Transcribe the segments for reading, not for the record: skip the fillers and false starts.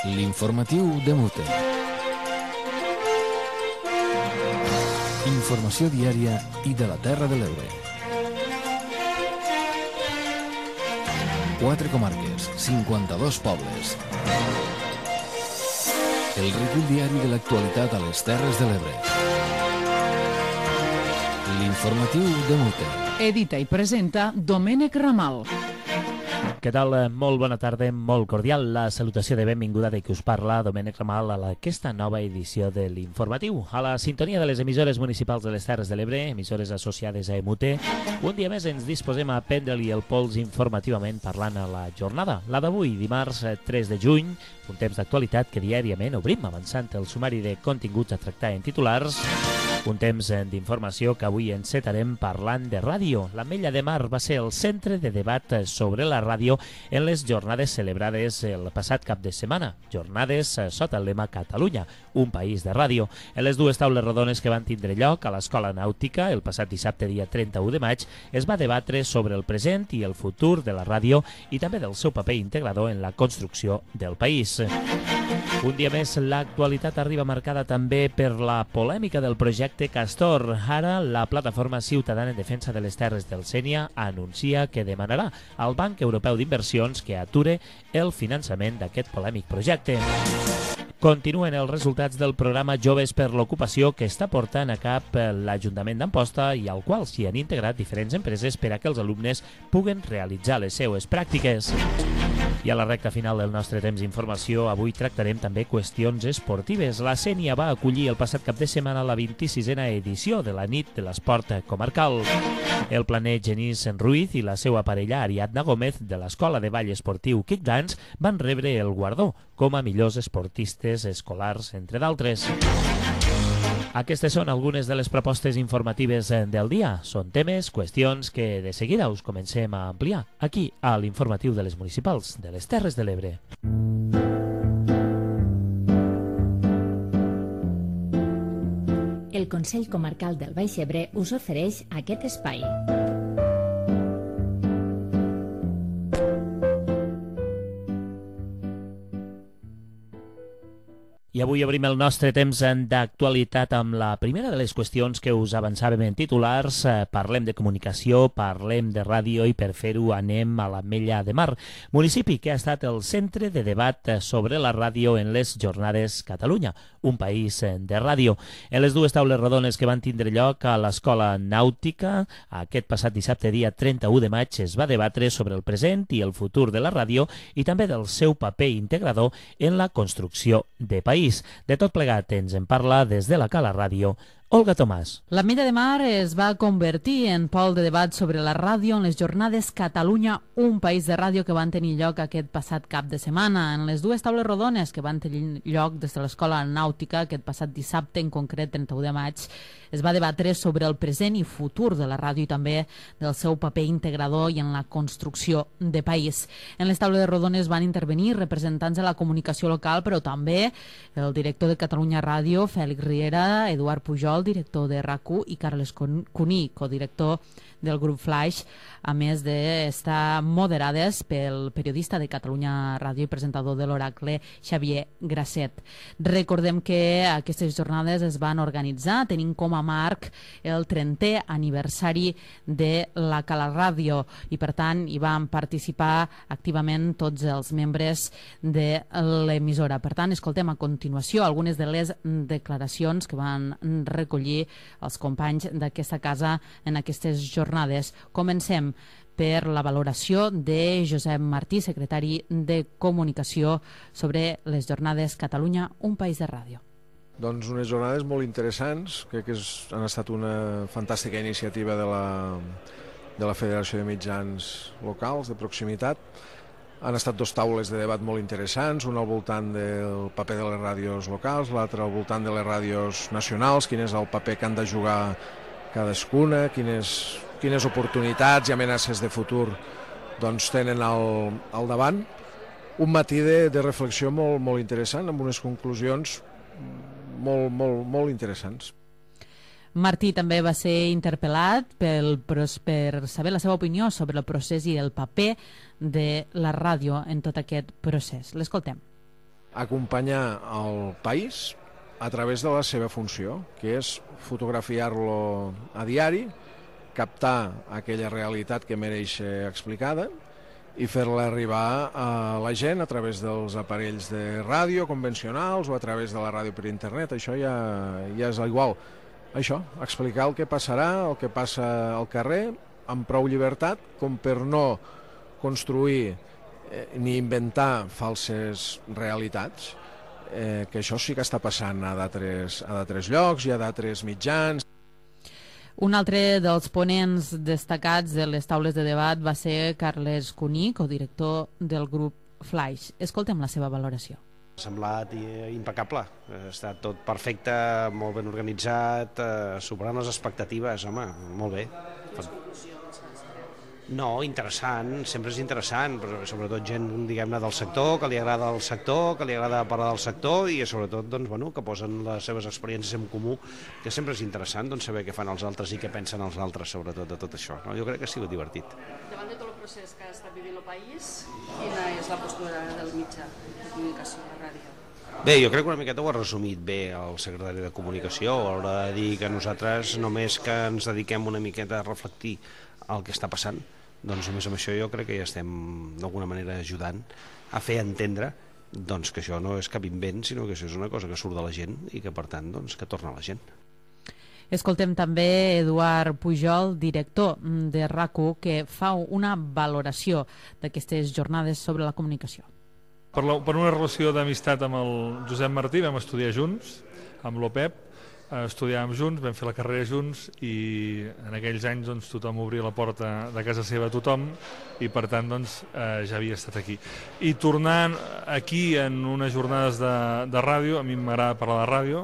L'informatiu de Mute. Informació diària i de la Terra de l'Ebre. 4 comarques, 52 pobles. El recull diari de l'actualitat a les Terres de l'Ebre. L'informatiu de Mute. Edita i presenta Domènec Ramal. Què tal? Molt bona tarda, molt cordial. La salutació de benvinguda de qui us parla, Domènec Ramal, a aquesta nova edició de l'Informatiu. A la sintonia de les emissores municipals de les Terres de l'Ebre, emissores associades a EMUTE, un dia més ens disposem a prendre-li el pols informativament parlant a la jornada. La d'avui, dimarts 3 de juny, un temps d'actualitat que diàriament obrim avançant el sumari de continguts a tractar en titulars. Un temps d'informació que avui encetarem parlant de ràdio. L'Ametlla de Mar va ser el centre de debat sobre la ràdio en les jornades celebrades el passat cap de setmana. Jornades sota el lema Catalunya, un país de ràdio. En les dues taules rodones que van tindre lloc a l'Escola Nàutica el passat dissabte dia 31 de maig es va debatre sobre el present i el futur de la ràdio i també del seu paper integrador en la construcció del país. Un dia més, l'actualitat arriba marcada també per la polèmica del projecte Castor. Ara, la plataforma ciutadana en defensa de les terres del Sénia anuncia que demanarà al Banc Europeu d'Inversions que ature el finançament d'aquest polèmic projecte. Continuen els resultats del programa Joves per l'Ocupació que està portant a cap l'Ajuntament d'Amposta i al qual s'hi han integrat diferents empreses per a que els alumnes puguen realitzar les seues pràctiques. I a la recta final del nostre temps d'informació, avui tractarem també qüestions esportives. La Sénia va acollir el passat cap de setmana la 26a edició de la nit de l'esport comarcal. El planer Genís Ruiz i la seva parella Ariadna Gómez de l'Escola de Ball Esportiu Kickdance van rebre el guardó com a millors esportistes escolars, entre d'altres. Aquestes són algunes de les propostes informatives del dia. Són temes, qüestions que de seguida us comencem a ampliar aquí a l'Informatiu de les Municipals de les Terres de l'Ebre. El Consell Comarcal del Baix Ebre us ofereix aquest espai. I avui obrim el nostre temps d'actualitat amb la primera de les qüestions que us avançàvem en titulars. Parlem de comunicació, parlem de ràdio i per fer-ho anem a l'Ametlla de Mar, municipi que ha estat el centre de debat sobre la ràdio en les jornades Catalunya, un país de ràdio. En les dues taules rodones que van tindre lloc a l'Escola Nàutica, aquest passat dissabte dia 31 de maig es va debatre sobre el present i el futur de la ràdio i també del seu paper integrador en la construcció de país. De tot plegat ens en parla des de la Cala Ràdio Olga Tomàs. L'Ametlla de Mar es va convertir en pol de debat sobre la ràdio en les jornades Catalunya, un país de ràdio que van tenir lloc aquest passat cap de setmana. En les dues taules rodones que van tenir lloc des de l'Escola Nàutica aquest passat dissabte, en concret 31 de maig, es va debatre sobre el present i futur de la ràdio i també del seu paper integrador i en la construcció de país. En les taules rodones van intervenir representants de la comunicació local, però també el director de Catalunya Ràdio, Fèlix Riera, Eduard Pujol, director de RAC1, i Carles Cuní, codirector del grup Flaix, a més d'estar moderades pel periodista de Catalunya Ràdio i presentador de l'Oracle, Xavier Grasset. Recordem que aquestes jornades es van organitzar tenint com a marc el 30è aniversari de la Cala Ràdio i per tant hi van participar activament tots els membres de l'emissora. Per tant, escoltem a continuació algunes de les declaracions que van recollir els companys d'aquesta casa en aquestes jornades. Comencem per la valoració de Josep Martí, secretari de Comunicació, sobre les jornades Catalunya, un país de ràdio. Doncs unes jornades molt interessants, crec que han estat una fantàstica iniciativa de la Federació de Mitjans Locals de proximitat. Han estat dos taules de debat molt interessants, una al voltant del paper de les ràdios locals, l'altra al voltant de les ràdios nacionals, quin és el paper que han de jugar cadascuna, quines oportunitats i amenaces de futur doncs, tenen al davant. Un matí de reflexió molt interessant, amb unes conclusions molt interessants. Martí també va ser interpel·lat per saber la seva opinió sobre el procés i el paper de la ràdio en tot aquest procés. L'escoltem. acompanyar el país a través de la seva funció, que és fotografiar-lo a diari, captar aquella realitat que mereix ser explicada i fer-la arribar a la gent a través dels aparells de ràdio convencionals o a través de la ràdio per internet. Això ja és igual. Això, explicar el que passarà, el que passa al carrer, amb prou llibertat, com per no construir ni inventar falses realitats, que això sí que està passant a d'altres llocs i a d'altres mitjans. Un altre dels ponents destacats de les taules de debat va ser Carles Cuní, codirector del grup Flaix. Escoltem la seva valoració. Ha semblat impecable, ha estat tot perfecte, molt ben organitzat, superant les expectatives, home, molt bé. No, interessant, sempre és interessant, però sobretot gent, diguem-ne, del sector, que li agrada el sector, que li agrada parlar del sector i sobretot, doncs, bueno, que posen les seves experiències en comú, que sempre és interessant, doncs, saber què fan els altres i què pensen els altres, sobretot, de tot això. No? Jo crec que ha sigut divertit. Davant de tot el procés que està vivint el país, quina és la postura del mitjà de comunicació, la ràdio? Bé, jo crec que una miqueta ho ha resumit bé el secretari de Comunicació, a l'hora de dir que nosaltres només que ens dediquem una miqueta a reflectir el que està passant, doncs només amb això jo crec que ja estem d'alguna manera ajudant a fer entendre doncs, que això no és cap invent, sinó que això és una cosa que surt de la gent i que per tant doncs, que torna a la gent. Escoltem també Eduard Pujol, director de RAC1, que fa una valoració d'aquestes jornades sobre la comunicació. Per una relació d'amistat amb el Josep Martí vam estudiar junts, amb l'OPEP, estudiàvem junts, vam fer la carrera junts i en aquells anys doncs, tothom obria la porta de casa seva a tothom i per tant doncs, ja havia estat aquí. I tornant aquí en unes jornades de ràdio, a mi m'agrada parlar de ràdio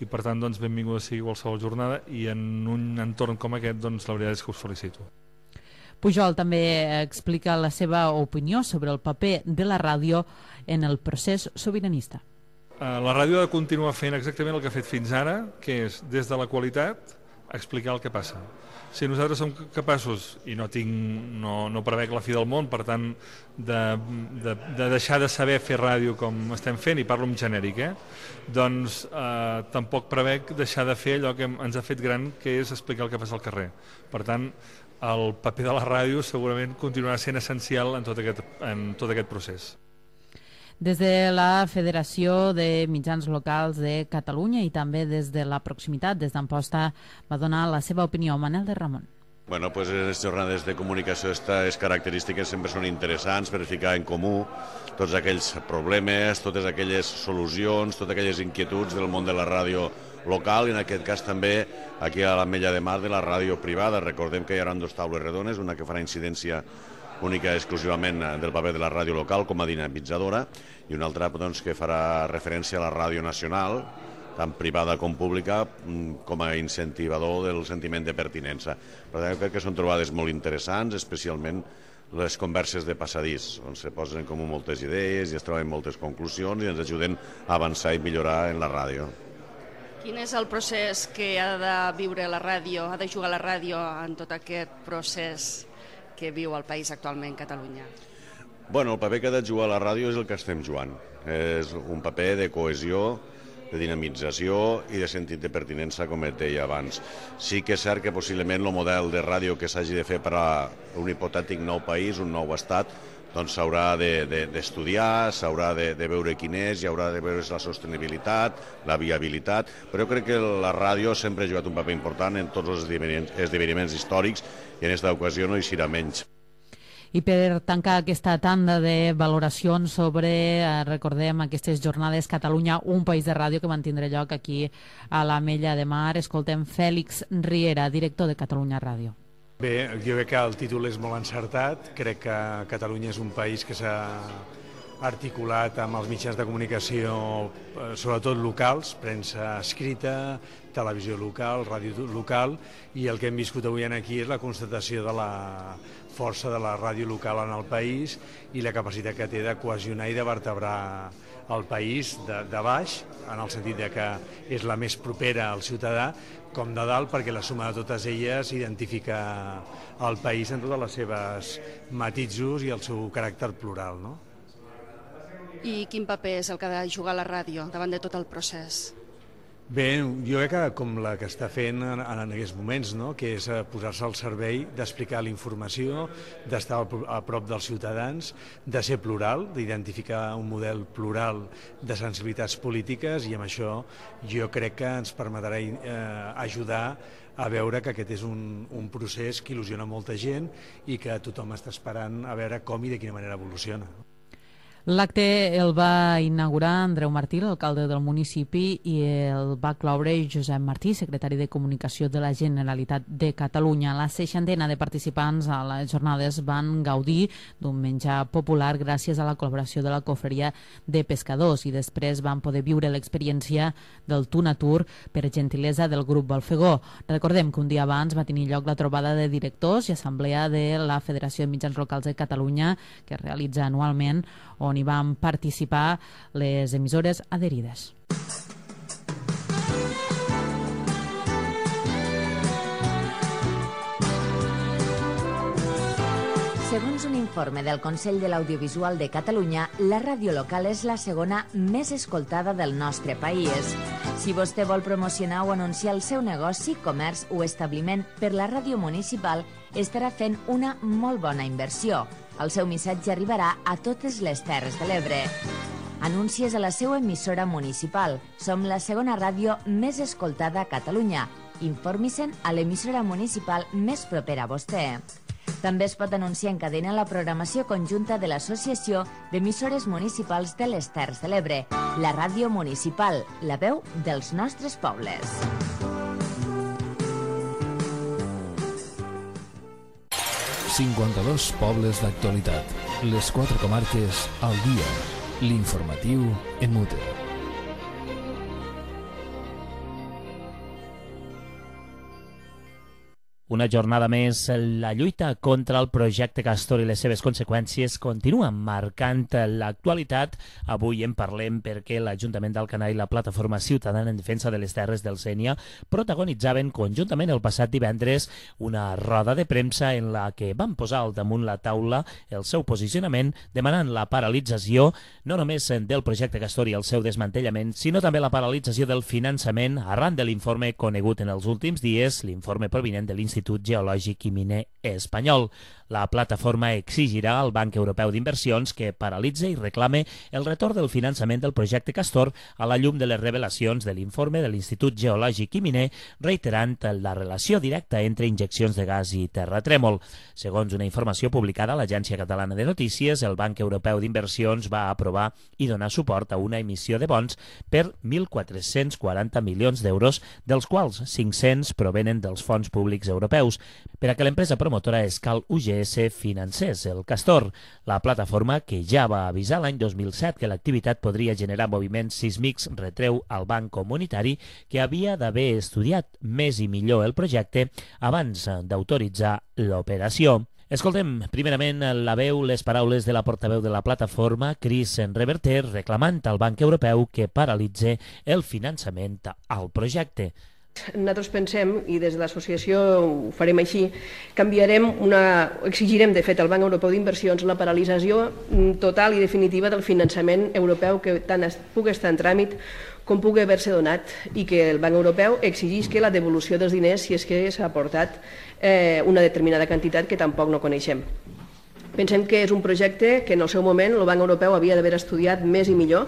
i per tant doncs, benvinguda sigui qualsevol jornada i en un entorn com aquest doncs, la veritat és que us felicito. Pujol també explica la seva opinió sobre el paper de la ràdio en el procés sobiranista. La ràdio ha de continuar fent exactament el que ha fet fins ara, que és, des de la qualitat, explicar el que passa. Si nosaltres som capaços, i no prevec la fi del món, per tant, de deixar de saber fer ràdio com estem fent, i parlo en genèric, doncs tampoc prevec deixar de fer allò que ens ha fet gran, que és explicar el que passa al carrer. Per tant, el paper de la ràdio segurament continuarà sent essencial en tot aquest procés. Des de la Federació de Mitjans Locals de Catalunya i també des de la proximitat, des d'Amposta, va donar la seva opinió Manel de Ramon. Bueno, pues les jornades de comunicació, aquestes característiques sempre són interessants per ficar en comú tots aquells problemes, totes aquelles solucions, totes aquelles inquietuds del món de la ràdio local i en aquest cas també aquí a l'Ametlla de Mar de la ràdio privada. Recordem que hi haurà dues taules redones, una que farà incidència única exclusivament del paper de la ràdio local com a dinamitzadora i una altra doncs, que farà referència a la ràdio nacional, tant privada com pública, com a incentivador del sentiment de pertinença. Per tant, crec que són trobades molt interessants, especialment les converses de passadís, on se posen en comú moltes idees i es troben moltes conclusions i ens ajuden a avançar i millorar en la ràdio. Quin és el procés que ha de viure la ràdio, ha de jugar la ràdio en tot aquest procés que viu el país actualment, Catalunya? Bueno, el paper que ha de jugar la ràdio és el que estem jugant. És un paper de cohesió, de dinamització i de sentit de pertinença, com et deia abans. Sí que és cert que possiblement el model de ràdio que s'hagi de fer per a un hipotètic nou país, un nou estat, doncs s'haurà d'estudiar, s'haurà de veure quin és, hi haurà de veure la sostenibilitat, la viabilitat, però jo crec que la ràdio sempre ha jugat un paper important en tots els esdeveniments històrics i en aquesta ocasió no hi serà menys. I per tancar aquesta tanda de valoracions sobre, recordem, aquestes jornades Catalunya, un país de ràdio que van tindre lloc aquí a l'Ametlla de Mar, escoltem Fèlix Riera, director de Catalunya Ràdio. Bé, jo crec que el títol és molt encertat. Crec que Catalunya és un país que s'ha articulat amb els mitjans de comunicació, sobretot locals, premsa escrita, televisió local, ràdio local, i el que hem viscut avui aquí és la constatació de la força de la ràdio local en el país i la capacitat que té de cohesionar i de vertebrar el país de baix, en el sentit que és la més propera al ciutadà, com de dalt, perquè la suma de totes elles identifica el país en totes les seves matisos i el seu caràcter plural, no? I quin paper és el que ha de jugar la ràdio davant de tot el procés? Bé, jo crec que com la que està fent en aquests moments, no? Que és posar-se al servei d'explicar la informació, d'estar a prop dels ciutadans, de ser plural, d'identificar un model plural de sensibilitats polítiques, i amb això jo crec que ens permetrà ajudar a veure que aquest és un procés que il·lusiona molta gent i que tothom està esperant a veure com i de quina manera evoluciona. L'acte el va inaugurar Andreu Martí, l'alcalde del municipi, i el va cloure Josep Martí, secretari de Comunicació de la Generalitat de Catalunya. La 60ena de participants a les jornades van gaudir d'un menjar popular gràcies a la col·laboració de la Cofreria de Pescadors, i després van poder viure l'experiència del Tu Natur per gentilesa del grup Balfegó. Recordem que un dia abans va tenir lloc la trobada de directors i assemblea de la Federació de Mitjans Locals de Catalunya, que es realitza anualment, on hi van participar les emissores adherides. Segons un informe del Consell de l'Audiovisual de Catalunya, la ràdio local és la segona més escoltada del nostre país. Si vostè vol promocionar o anunciar el seu negoci, comerç o establiment per la ràdio municipal, estarà fent una molt bona inversió. El seu missatge arribarà a totes les Terres de l'Ebre. Anuncies a la seva emissora municipal. Som la segona ràdio més escoltada a Catalunya. Informi-se'n a l'emissora municipal més propera a vostè. També es pot anunciar en cadena la programació conjunta de l'Associació d'Emissores Municipals de les Terres de l'Ebre, la ràdio municipal, la veu dels nostres pobles. ...52 pobles d'actualitat. Les 4 comarques al dia. L'informatiu en Mute. Una jornada més, la lluita contra el projecte Castor i les seves conseqüències continua marcant l'actualitat. Avui en parlem perquè l'Ajuntament d'Alcanar i la Plataforma Ciutadana en Defensa de les Terres del Sénia protagonitzaven conjuntament el passat divendres una roda de premsa en la que van posar al damunt la taula el seu posicionament demanant la paralització no només del projecte Castor i el seu desmantellament, sinó també la paralització del finançament arran de l'informe conegut en els últims dies, l'informe provinent de l'Institut Geològic i Miner Espanyol. La plataforma exigirà al Banc Europeu d'Inversions que paralitze i reclame el retorn del finançament del projecte Castor a la llum de les revelacions de l'informe de l'Institut Geològic i Miner, reiterant la relació directa entre injeccions de gas i terratrèmol. Segons una informació publicada a l'Agència Catalana de Notícies, el Banc Europeu d'Inversions va aprovar i donar suport a una emissió de bons per 1.440 milions d'euros, dels quals 500 provenen dels fons públics europeus, per a que l'empresa promotora Escal UGS financés el Castor. La plataforma, que ja va avisar l'any 2007 que l'activitat podria generar moviments sísmics, retreu al Banc Comunitari que havia d'haver estudiat més i millor el projecte abans d'autoritzar l'operació. Escoltem primerament la veu, les paraules de la portaveu de la plataforma, Cris Reverter, reclamant al Banc Europeu que paralitze el finançament al projecte. Nosaltres pensem, i des de l'associació ho farem així, exigirem de fet al Banc Europeu d'Inversions la paralització total i definitiva del finançament europeu que tant pugui estar en tràmit com pugui haver-se donat, i que el Banc Europeu exigisca la devolució dels diners si és que s'ha aportat una determinada quantitat que tampoc no coneixem. Pensem que és un projecte que en el seu moment el Banc Europeu havia d'haver estudiat més i millor.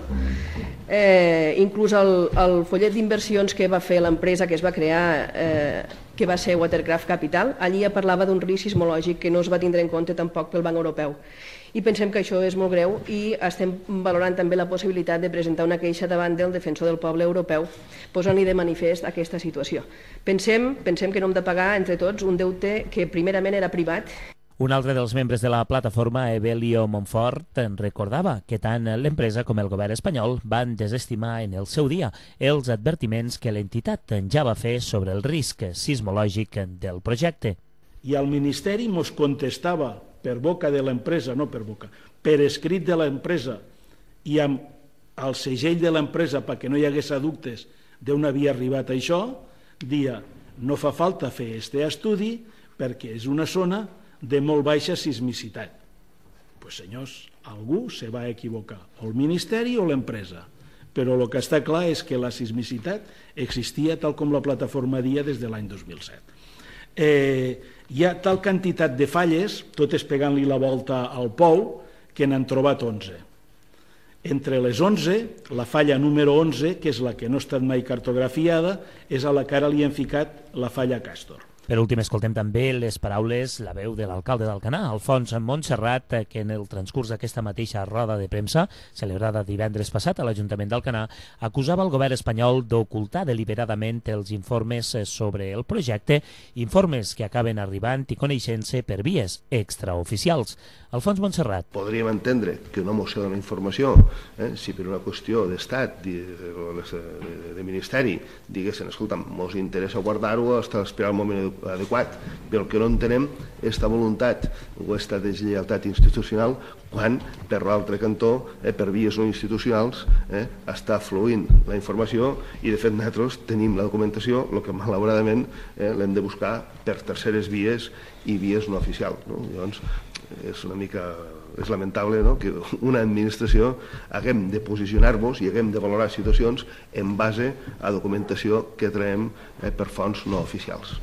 Inclús el follet d'inversions que va fer l'empresa que es va crear, que va ser Watercraft Capital, allí ja parlava d'un risc sismològic que no es va tindre en compte tampoc pel Banc Europeu. I pensem que això és molt greu i estem valorant també la possibilitat de presentar una queixa davant del defensor del poble europeu posant-li de manifest aquesta situació. Pensem que no hem de pagar entre tots un deute que primerament era privat. Un altre dels membres de la plataforma, Evelio Montfort, recordava que tant l'empresa com el govern espanyol van desestimar en el seu dia els advertiments que l'entitat ja va fer sobre el risc sismològic del projecte. I el Ministeri ens contestava per boca de l'empresa, no per boca, per escrit de l'empresa i amb el segell de l'empresa perquè no hi hagués dubtes d'on havia arribat això, dia no fa falta fer aquest estudi perquè és una zona de molt baixa sismicitat. Doncs senyors, algú se va equivocar, o el Ministeri o l'empresa. Però el que està clar és que la sismicitat existia tal com la plataforma dia des de l'any 2007. Hi ha tal quantitat de falles, totes pegant-li la volta al pou, que n'han trobat 11. Entre les 11, la falla número 11, que és la que no ha estat mai cartografiada, és a la que ara li han ficat la falla Castor. Per últim, escoltem també les paraules, la veu de l'alcalde d'Alcanar, Alfons Montserrat, que en el transcurs d'aquesta mateixa roda de premsa, celebrada divendres passat a l'Ajuntament d'Alcanar, acusava el govern espanyol d'ocultar deliberadament els informes sobre el projecte, informes que acaben arribant i coneixent-se per vies extraoficials. Alfons Montserrat. Podríem entendre que una moció dona informació, si per una qüestió d'estat, de ministeri, diguessin, escolta, mos interessa guardar-ho, esperar el moment adequat, però el que no entenem és esta voluntat o esta deslleialtat institucional quan, per l'altre cantó, per vies no institucionals, està fluint la informació i, de fet, nosaltres tenim la documentació, el que malauradament l'hem de buscar per terceres vies i vies no oficials. Llavors, és lamentable que una administració haguem de posicionar-nos i haguem de valorar situacions en base a documentació que traiem per fonts no oficials.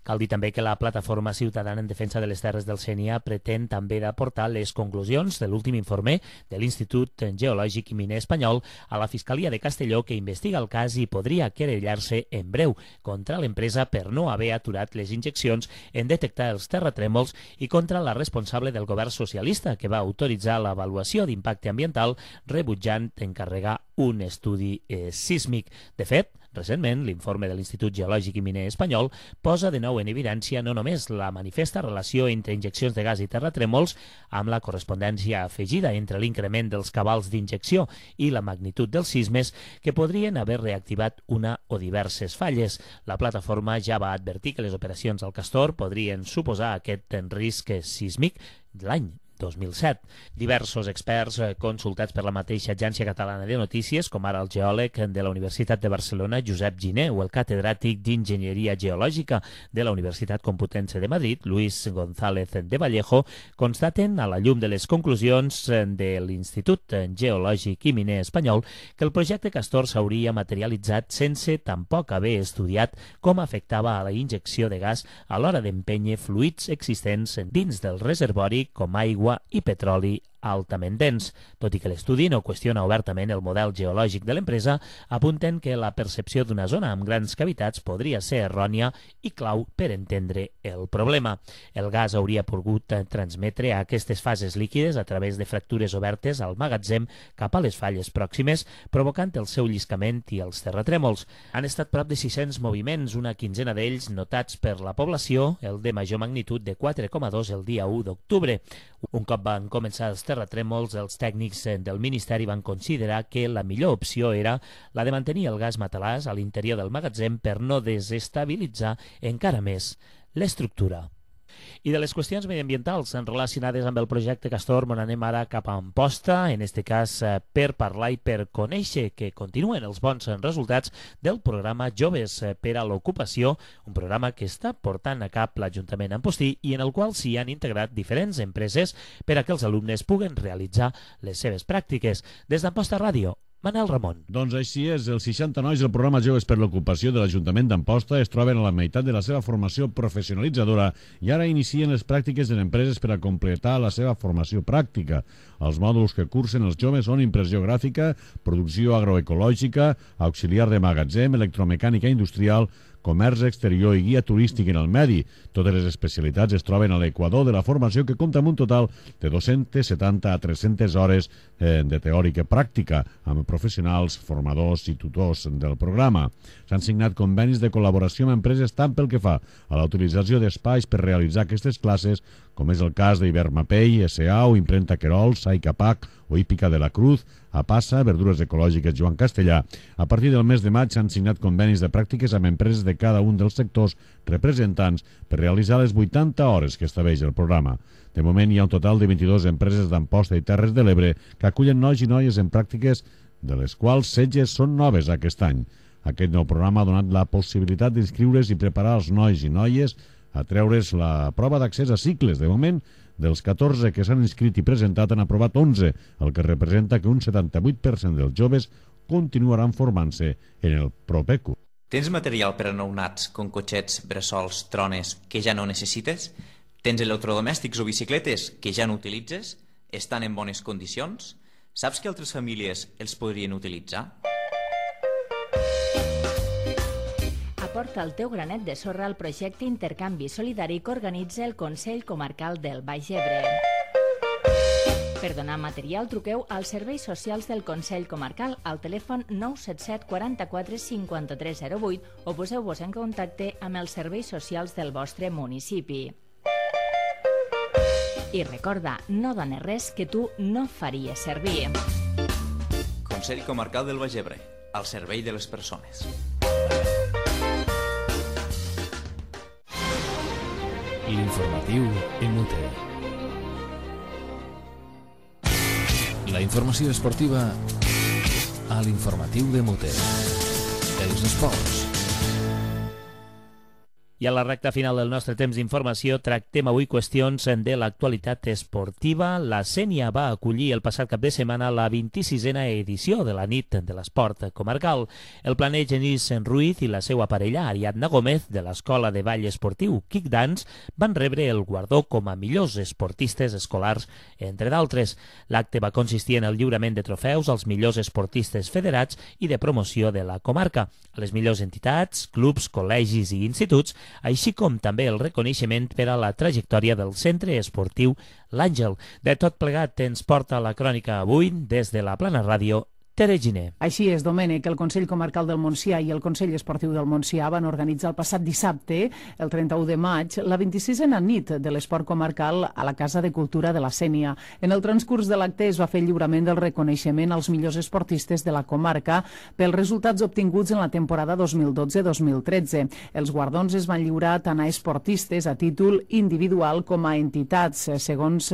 Cal dir també que la Plataforma Ciutadana en Defensa de les Terres del Sénia pretén també d'aportar les conclusions de l'últim informe de l'Institut Geològic i Miner Espanyol a la Fiscalia de Castelló, que investiga el cas i podria querellar-se en breu contra l'empresa per no haver aturat les injeccions en detectar els terratrèmols i contra la responsable del govern socialista, que va autoritzar l'avaluació d'impacte ambiental rebutjant encarregar un estudi sísmic. De fet, recentment, l'informe de l'Institut Geològic i Miner Espanyol posa de nou en evidència no només la manifesta relació entre injeccions de gas i terratrèmols, amb la correspondència afegida entre l'increment dels cabals d'injecció i la magnitud dels sismes, que podrien haver reactivat una o diverses falles. La plataforma ja va advertir que les operacions al Castor podrien suposar aquest risc sísmic l'any 2007. Diversos experts consultats per la mateixa Agència Catalana de Notícies, com ara el geòleg de la Universitat de Barcelona, Josep Giner, o el catedràtic d'Enginyeria Geològica de la Universitat Complutense de Madrid, Luis González de Vallejo, constaten, a la llum de les conclusions de l'Institut Geològic i Miner Espanyol, que el projecte Castor s'hauria materialitzat sense tampoc haver estudiat com afectava a la injecció de gas a l'hora d'empènyer fluids existents dins del reservori com aigua i petroli altament dens. Tot i que l'estudi no qüestiona obertament el model geològic de l'empresa, apunten que la percepció d'una zona amb grans cavitats podria ser errònia i clau per entendre el problema. El gas hauria pogut transmetre a aquestes fases líquides a través de fractures obertes al magatzem cap a les falles pròximes, provocant el seu lliscament i els terratrèmols. Han estat prop de 600 moviments, una quinzena d'ells notats per la població, el de major magnitud de 4,2 el dia 1 d'octubre. Un cop van començar els terratrèmols, els tècnics del Ministeri van considerar que la millor opció era la de mantenir el gas matalàs a l'interior del magatzem per no desestabilitzar encara més l'estructura. I de les qüestions mediambientals relacionades amb el projecte Castor, anem ara cap a Amposta, en aquest cas per parlar i per conèixer que continuen els bons resultats del programa Joves per a l'Ocupació, un programa que està portant a cap l'Ajuntament Ampostí i en el qual s'hi han integrat diferents empreses per a que els alumnes puguen realitzar les seves pràctiques. Des d'Amposta Ràdio, Manel Ramon. Doncs així és, els 60 nois del programa Joves per l'Ocupació de l'Ajuntament d'Amposta es troben a la meitat de la seva formació professionalitzadora i ara inicien les pràctiques en empreses per a completar la seva formació pràctica. Els mòduls que cursen els joves són impressió gràfica, producció agroecològica, auxiliar de magatzem, electromecànica industrial, comerç exterior i guia turístic en el medi. Totes les especialitats es troben a l'equador de la formació, que compta amb un total de 270 a 300 hores de teòrica pràctica amb professionals, formadors i tutors del programa. S'han signat convenis de col·laboració amb empreses tant pel que fa a la utilització d'espais per realitzar aquestes classes, com és el cas d'Ibermapei, S.A. o Imprenta Querol, Saicapac o Hípica de la Cruz, a Passa, Verdures Ecològiques Joan Castellà. A partir del mes de maig s'han signat convenis de pràctiques amb empreses de cada un dels sectors representants per realitzar les 80 hores que estableix el programa. De moment hi ha un total de 22 empreses d'Amposta i Terres de l'Ebre que acullen nois i noies en pràctiques, de les quals 16 són noves aquest any. Aquest nou programa ha donat la possibilitat d'inscriure's i preparar els nois i noies a treure's la prova d'accés a cicles. De moment Dels 14 que s'han inscrit i presentat han aprovat 11, el que representa que un 78% dels joves continuaran formant-se en el proper curs. Tens material per a nounats, com cotxets, bressols, trones, que ja no necessites? Tens electrodomèstics o bicicletes que ja no utilitzes? Estan en bones condicions? Saps que altres famílies els podrien utilitzar? Aporta el teu granet de sorra al projecte Intercanvi Solidari que organitza el Consell Comarcal del Baix Ebre. Per donar material, truqueu als serveis socials del Consell Comarcal al telèfon 977 44 5308 o poseu-vos en contacte amb els serveis socials del vostre municipi. I recorda, no dones res que tu no faries servir. Consell Comarcal del Baix Ebre, al servei de les persones. L'informatiu MUT. La informació esportiva a l'informatiu de MUT. Els esports. I a la recta final del nostre temps d'informació tractem avui qüestions de l'actualitat esportiva. La Sénia va acollir el passat cap de setmana la 26a edició de la nit de l'esport comarcal. El planer Genís Ruiz i la seva parella Ariadna Gómez de l'Escola de Ball Esportiu Kick Dance van rebre el guardó com a millors esportistes escolars, entre d'altres. L'acte va consistir en el lliurament de trofeus als millors esportistes federats i de promoció de la comarca, a les millors entitats, clubs, col·legis i instituts, així com també el reconeixement per a la trajectòria del centre esportiu L'Àngel. De tot plegat ens porta la crònica avui des de la Plana Ràdio, Tere Giner. Així és, Domènec. El Consell Comarcal del Montsià i el Consell Esportiu del Montsià van organitzar el passat dissabte, el 31 de maig, la 26a nit de l'esport comarcal a la Casa de Cultura de la Sénia. En el transcurs de l'acte es va fer el lliurament del reconeixement als millors esportistes de la comarca pels resultats obtinguts en la temporada 2012-2013. Els guardons es van lliurar tant a esportistes a títol individual com a entitats, segons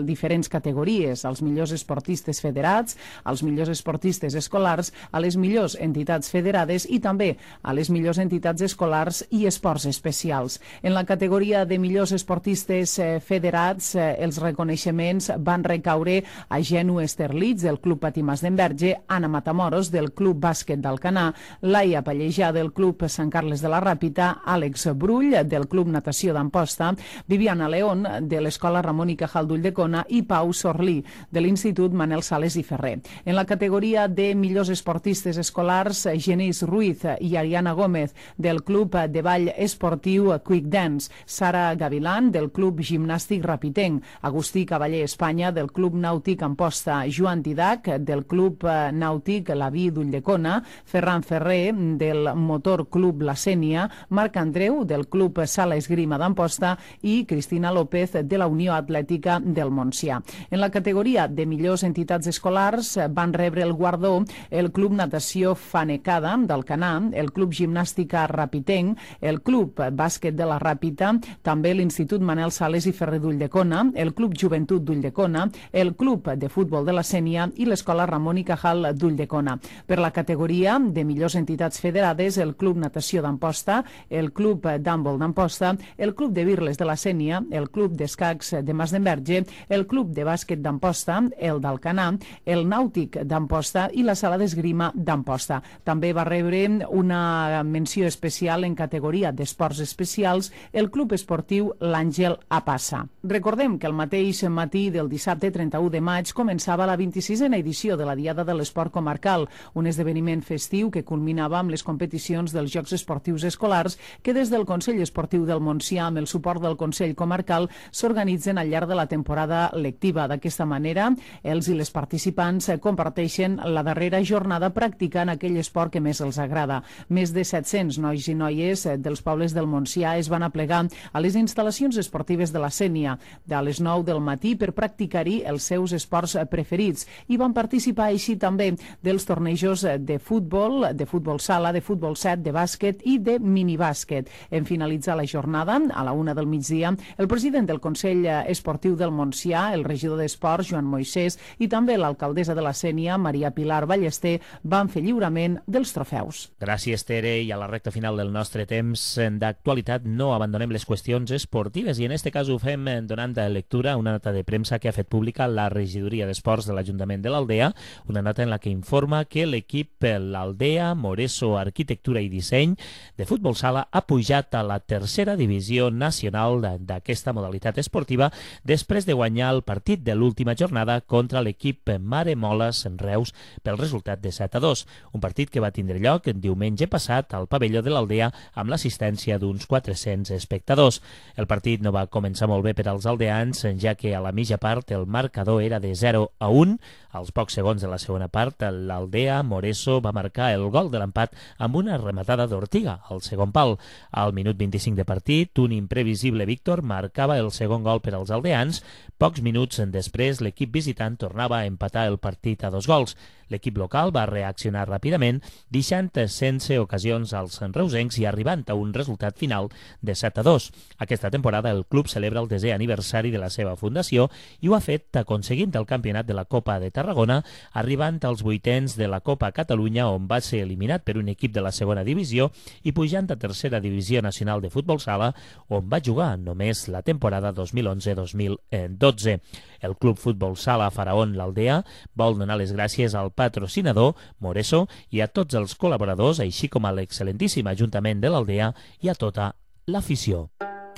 diferents categories, als millors esportistes federats, als millors esportistes escolars, a les millors entitats federades i també a les millors entitats escolars i esports especials. En la categoria de millors esportistes federats, els reconeixements van recaure a Genu Esterlitz, del Club Patí Mas d'Enverge, Anna Matamoros, del Club Bàsquet d'Alcanar, Laia Pallejà, del Club Sant Carles de la Ràpita, Àlex Brull, del Club Natació d'Amposta, Viviana León, de l'Escola Ramon i Cajal d'Ulldecona i Pau Sorlí, de l'Institut Manel Sales i Ferrer. En la categoria de millors esportistes escolars, Genís Ruiz i Ariana Gómez, del Club de Ball Esportiu Quick Dance, Sara Gavilán, del Club Gimnàstic Rapitenc, Agustí Cavaller Espanya, del Club Nàutic Amposta, Joan Didac, del Club Nàutic La Vi d'Ulldecona, Ferran Ferrer, del Motor Club La Sénia, Marc Andreu, del Club Sala Esgrima d'Amposta i Cristina López, de la Unió Atlètica del Montsià. En la categoria de millors entitats escolars van rebre el guardó el Club Natació Fanecada d'Alcanar, el Club Gimnàstica Rapitenc, el Club Bàsquet de la Ràpita, també l'Institut Manel Sales i Ferrer d'Ulldecona, el Club Joventut d'Ulldecona, el Club de Futbol de la Sénia i l'Escola Ramon i Cajal d'Ulldecona. Per la categoria de millors entitats federades, el Club Natació d'Amposta, el Club d'Handbol d'Amposta, el Club de Birles de la Sénia, el Club d'Escacs de Mas d'Enverge, el Club de Bàsquet d'Amposta, el d'Alcanar, el Nàutic d'Amposta i la Sala d'Esgrima d'Amposta. També va rebre una menció especial en categoria d'esports especials el Club Esportiu L'Àngel a Passa. Recordem que el mateix matí del dissabte 31 de maig començava la 26a edició de la Diada de l'Esport Comarcal, un esdeveniment festiu que culminava amb les competicions dels Jocs Esportius Escolars que des del Consell Esportiu del Montsià, amb el suport del Consell Comarcal, s'organitzen al llarg de la temporada lectiva. D'aquesta manera, els i les participants comparteixen la darrera jornada practicant aquell esport que més els agrada. Més de 700 nois i noies dels pobles del Montsià es van aplegar a les instal·lacions esportives de la Sénia a les 9 del matí per practicar-hi els seus esports preferits i van participar així també dels tornejos de futbol sala, de futbol 7, de bàsquet i de minibàsquet. En finalitzar la jornada, a la 1 del migdia, el president del Consell Esportiu del Montsià, el regidor d'Esports, Joan Moisès, i també l'alcaldessa de la Sénia, Maria a Pilar Ballester van fer lliurament dels trofeus. Gràcies, Tere, i a la recta final del nostre temps d'actualitat no abandonem les qüestions esportives i en este cas ho fem donant lectura a una nota de premsa que ha fet pública la regidoria d'Esports de l'Ajuntament de l'Aldea, una nota en la que informa que l'equip l'Aldea, Moreso Arquitectura i Disseny de futbol sala ha pujat a la tercera divisió nacional d'aquesta modalitat esportiva després de guanyar el partit de l'última jornada contra l'equip Mare Moles en Reus pel resultat de 7-2, un partit que va tindre lloc diumenge passat al pavelló de l'Aldea amb l'assistència d'uns 400 espectadors. El partit no va començar molt bé per als aldeans, ja que a la mitja part el marcador era de 0-1. Als pocs segons de la segona part, l'Aldea Moreso va marcar el gol de l'empat amb una rematada d'Ortiga al segon pal. Al minut 25 de partit, un imprevisible Víctor marcava el segon gol per als aldeans. Pocs minuts després, l'equip visitant tornava a empatar el partit a 2 gols. L'equip local va reaccionar ràpidament, deixant sense ocasions als reusencs i arribant a un resultat final de 7-2. Aquesta temporada el club celebra el 10è aniversari de la seva fundació i ho ha fet aconseguint el campionat de la Copa de Tarragona, arribant als 8ens de la Copa Catalunya, on va ser eliminat per un equip de la segona divisió, i pujant a tercera divisió nacional de futbol sala, on va jugar només la temporada 2011-2012. El Club Futbol Sala Faraón l'Aldea vol donar les gràcies al patrocinador Moreso i a tots els col·laboradors, així com a l'excel·lentíssim Ajuntament de l'Aldea i a tota l'afició.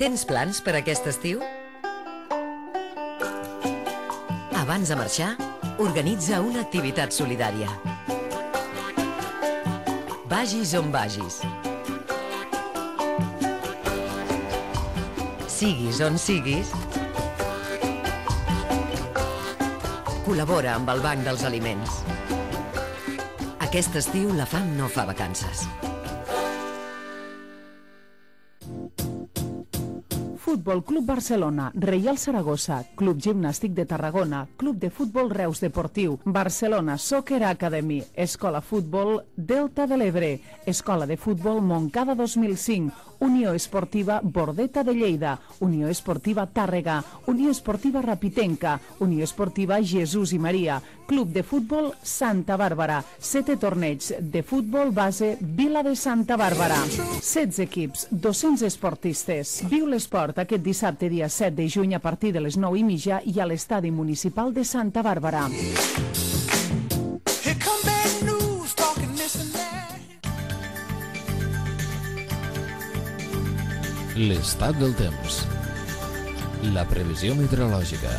Tens plans per aquest estiu? Abans de marxar, organitza una activitat solidària. Vagis on vagis. Siguis on siguis, col·labora amb el Banc dels Aliments. Aquest estiu la fam no fa vacances. Futbol Club Barcelona, Reial Saragossa, Club Gimnàstic de Tarragona, Club de Futbol Reus Deportiu, Barcelona Soccer Academy, Escola Futbol Delta de l'Ebre, Escola de Futbol Montcada 2005, Unió Esportiva Bordeta de Lleida, Unió Esportiva Tàrrega, Unió Esportiva Rapitenca, Unió Esportiva Jesús i Maria, Club de Futbol Santa Bàrbara, 7 torneigs de futbol base Vila de Santa Bàrbara, 16 equips, 200 esportistes. Viu l'esport aquest dissabte dia 7 de juny a partir de les 9:30 i a l'Estadi Municipal de Santa Bàrbara. L'estat del temps. La previsió meteorològica.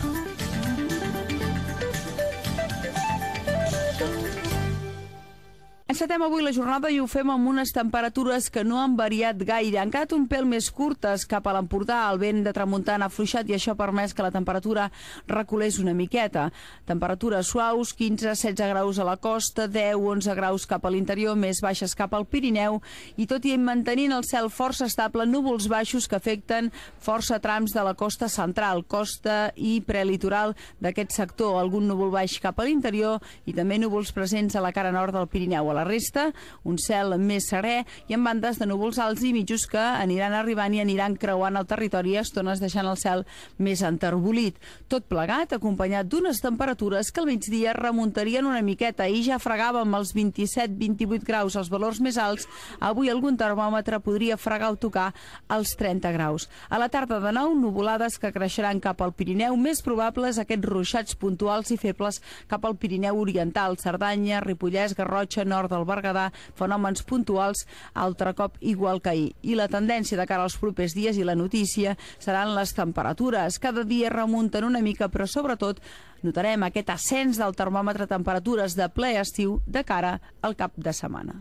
Encetem avui la jornada i ho fem amb unes temperatures que no han variat gaire. Han quedat un pèl més curtes cap a l'Empordà. El vent de tramuntana ha afluixat i això ha permès que la temperatura reculés una miqueta. Temperatures suaus, 15-16 graus a la costa, 10-11 graus cap a l'interior, més baixes cap al Pirineu, i tot i mantenint el cel força estable, núvols baixos que afecten força trams de la costa central, costa i prelitoral d'aquest sector. Algun núvol baix cap a l'interior i també núvols presents a la cara nord del Pirineu. A la resta, un cel més serè i amb bandes de núvols alts i mitjos que aniran arribant i aniran creuant el territori, a estones deixant el cel més enterbolit. Tot plegat acompanyat d'unes temperatures que al migdia remuntarien una miqueta i ja fregàvem els 27-28 graus, els valors més alts. Avui algun termòmetre podria fregar o tocar els 30 graus. A la tarda de nou, nuvolades que creixeran cap al Pirineu, més probables aquests ruixats puntuals i febles cap al Pirineu oriental, Cerdanya, Ripollès, Garrotxa, nord del Berguedà, fenòmens puntuals altre cop igual que ahir. I la tendència de cara als propers dies i la notícia seran les temperatures. Cada dia remunten una mica, però sobretot notarem aquest ascens del termòmetre, temperatures de ple estiu de cara al cap de setmana.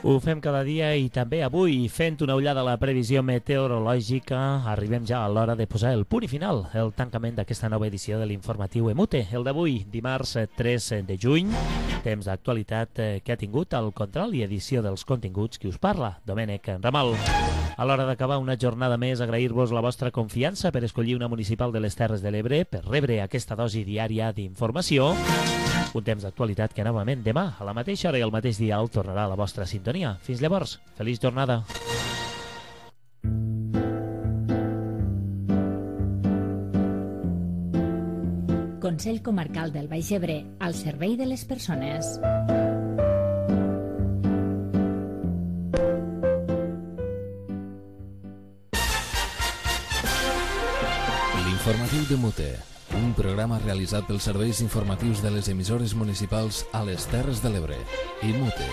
Ho fem cada dia i també avui, fent una ullada a la previsió meteorològica, arribem ja a l'hora de posar el punt i final, el tancament d'aquesta nova edició de l'informatiu EMUTE, el d'avui, dimarts 3 de juny, temps d'actualitat que ha tingut el control i edició dels continguts qui us parla, Domènec Ramal. A l'hora d'acabar una jornada més, agrair-vos la vostra confiança per escollir una municipal de les Terres de l'Ebre, per rebre aquesta dosi diària d'informació. Un temps d'actualitat que novament demà, a la mateixa hora i al mateix dial, tornarà a la vostra sintonia. Fins llavors, feliç jornada. Consell Comarcal del Baix Ebre, al servei de les persones. L'informatiu de Mute, un programa realitzat pels serveis informatius de les emissores municipals a les Terres de l'Ebre i Mute.